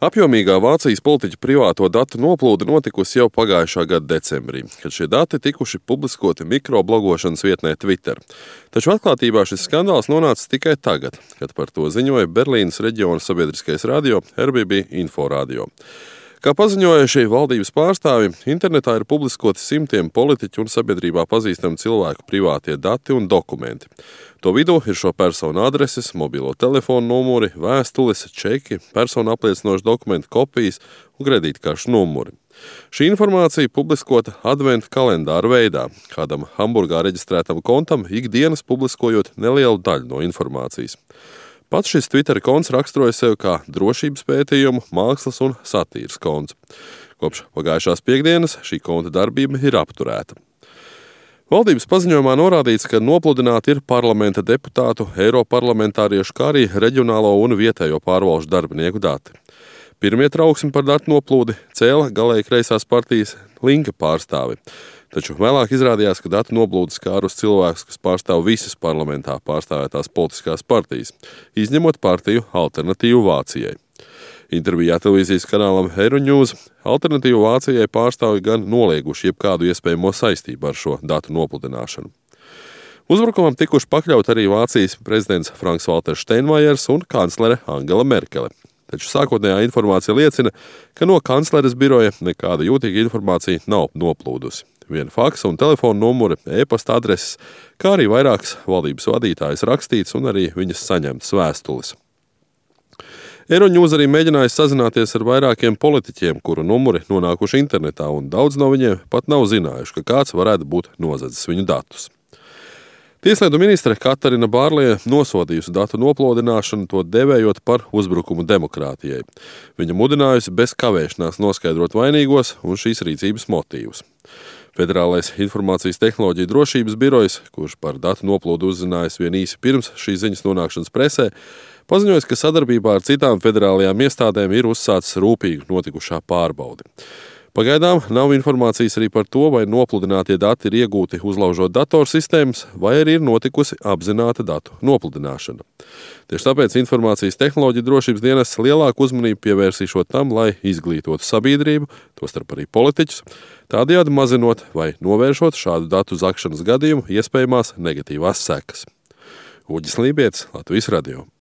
Apjomīgā Vācijas politiķu privāto datu noplūde notikusi jau pagājušā gada decembrī, kad šie dati tikuši publiskoti mikroblogošanas vietnē Twitter. Taču atklātībā šis skandāls nonāca tikai tagad, kad par to ziņoja Berlīnes reģiona sabiedriskais radio RBB Inforadio. Kā paziņojuši valdības pārstāvi, internetā ir publiskoti simtiem politiķu un sabiedrībā pazīstamu cilvēku privātie dati un dokumenti. To vidū ir šo personu adreses, mobilo telefonu numuri, vēstules, čeki, personu apliecinošu dokumentu kopijas un kredītkaršu numuri. Šī informācija publiskota adventa kalendāra veidā, kādam Hamburgā reģistrētam kontam ikdienas publiskojot nelielu daļu no informācijas. Pats šis Twitter konts raksturoja sevi kā drošības pētījumu, mākslas un satīras konts. Kopš pagājušās piektdienas šī konta darbība ir apturēta. Valdības paziņojumā norādīts, ka nopludināti ir parlamenta deputātu, eiroparlamentāriešu, kā arī reģionālo un vietējo pārvalžu darbinieku dati. Pirmie trauksmi par datu noplūdi cēla galēji kreisās partijas Linke pārstāvi. Taču vēlāk izrādījās, ka datu noplūdes skārus cilvēkus, kas pārstāv visas parlamentā pārstāvētās politiskās partijas, izņemot partiju Alternatīvu Vācijai. Intervijā televīzijas kanālam Euronews Alternatīvu Vācijai pārstāvi gan nolieguši jebkādu iespējamo saistību ar šo datu nopludināšanu. Uzbrukumam tikuši pakļaut arī Vācijas prezidents Franks-Valters Steinmeiers un kanclere Angela Merkele. Taču sākotnējā informācija liecina, ka no kancleres biroja nekāda jūtīga informācija nav noplūdusi. Viena faksa un telefona numuri, e-pasta adreses, kā arī vairākas valdības vadītājas rakstīts un arī viņas saņemtas vēstules. Euronews arī mēģinājis sazināties ar vairākiem politiķiem, kuru numuri nonākuši internetā, un daudz no viņiem pat nav zinājuši, ka kāds varētu būt nozadzis viņu datus. Tieslietu ministre Katarina Bārlija nosodījusi datu nopludināšanu, to devējot par uzbrukumu demokrātijai. Viņa mudinājusi bez kavēšanās noskaidrot vainīgos un šīs rīcības motīvus. Federālais informācijas tehnoloģiju drošības birojs, kurš par datu noplūdu uzzinājis vien īsi pirms šīs ziņas nonākšanas presē, paziņoja, ka sadarbībā ar citām federālajām iestādēm ir uzsācis rūpīgi notikušā pārbaudi. Pagaidām nav informācijas arī par to, vai nopludinātie dati ir iegūti uzlaužot datorsistēmas, vai arī ir notikusi apzināta datu nopludināšana. Tieši tāpēc informācijas tehnoloģiju drošības dienests lielāku uzmanību pievērsīšot tam, lai izglītotu sabiedrību, tostarp arī politiķus, tādējādi mazinot vai novēršot šādu datu zakšanas gadījumu iespējamās negatīvās sekas. Uģis Lībietis, Latvijas radio.